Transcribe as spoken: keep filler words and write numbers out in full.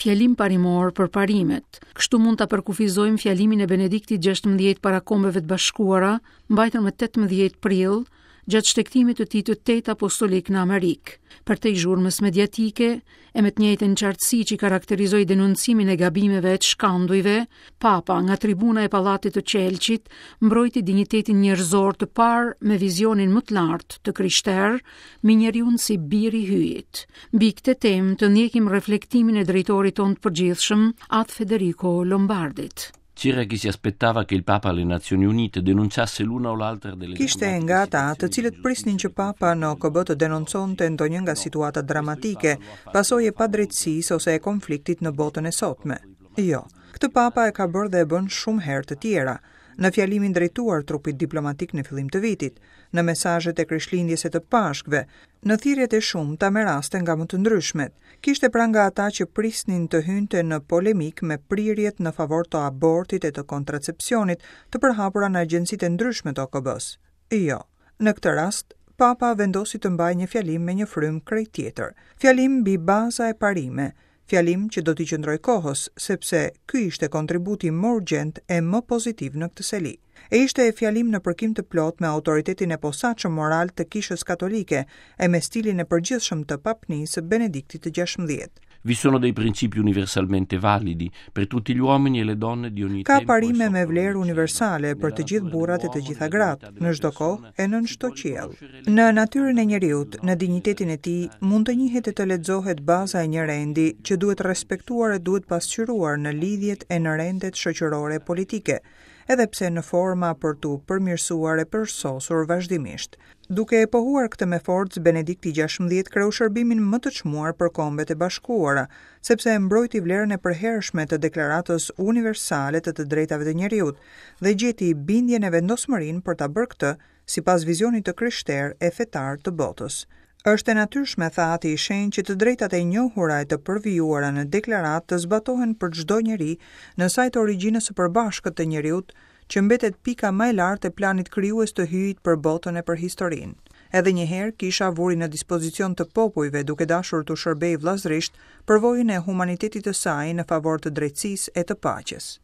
Fjalim parimor për parimet. Kështu mund ta përkufizojmë fjalimin e Benediktit gjashtëmbëdhjetë para Kombeve të Bashkuara, mbajtur më tetëmbëdhjetë prill, gjatë shtegtimit të tij të tetë apostolik në Amerikë. Përtej zhurmës mediatike, e me të njëjtën qartësi që karakterizoi denoncimin e gabimeve e të shkandujve, Papa nga tribuna e Pallatit të Qelqit mbrojti dinjitetin njerëzor të parë me vizionin më të lartë të krishterë, me njeriun si biri hyjit. Mbi këtë temë të ndjekim reflektimin e drejtorit tonë të përgjithshëm, Atë Federico Lombardit. C'era chi si aspettava che il Papa alle Nazioni Unite denunciasse l'una o l'altra delle Kishte nga ata të cilët prisnin që Papa në O K B të denonconte ndonjë nga situatat dramatike, pasojë e padrejtësisë ose e konfliktit në botën e sotme. Jo, këtë Papa e ka bërë dhe e bën shumë herë të tjera, në fjalimin drejtuar trupit diplomatik në fillim të vitit, në mesazhet e Krishtlindjes e të Pashkëve, në thirrjet e shumta me raste nga më të ndryshmet. Kishte pra nga ata që prisnin të hynte në polemik me prirjet në favor të abortit e të kontracepcionit të përhapura në agjencitë e ndryshme të O K B-s. Jo, në këtë rast, Papa vendosi të mbajë një fjalim me një frymë krejt tjetër. Fjalim mbi baza e parime, fjalim që do t'i qëndroj kohës, sepse ky ishte kontributi më urgjent e më pozitiv në këtë seli. E ishte fjalim në përkim të plot me autoritetin e posaçëm moral të Kishës Katolike e me stilin e përgjithshëm të papnisë së Benediktit të gjashtëmbëdhjetë. Vi sono dei principi universalmente validi per tutti gli uomini e le donne di ogni Ka tempo e parime me sotto ogni vlerë cielo. Universale për të Nella gjithë natura burrat e të dell'uomo, gjitha nella gratë, dignità në della çdo kohë persona, e nën çdo qiell. Në natyrën e njeriut, në dinjitetin e tij, mund të njihet e të lexohet baza e një rendi që duhet respektuar e duhet pasqyruar në lidhjet e në rendet shoqërore e politike, edhe pse në forma për t'u përmirësuar e përsosur vazhdimisht. Duke e pohuar këtë me forcë, Benedikti gjashtëmbëdhjetë kreu shërbimin më të çmuar për Kombet e Bashkuara, sepse e mbrojti vlerën e përhershme të Deklaratës Universale të të Drejtave të Njeriut dhe gjeti bindjen e vendosmërinë për ta bërë këtë sipas vizionit të krishterë e fetar të botës. Është e natyrshme, tha Ati i Shenjtë, që të drejtat e njohura e të përvijuara në deklaratë të zbatohen për çdo njeri në sajë të origjinës së përbashkët të njeriut, që mbetet pika më e lartë e planit krijues të hyjit për botën e për historinë. Edhe një herë kisha vuri në dispozicion të popujve, duke dashur t'u shërbejë vëllazërisht, përvojën e humanitetit të saj në favor të drejtësisë e të paqes.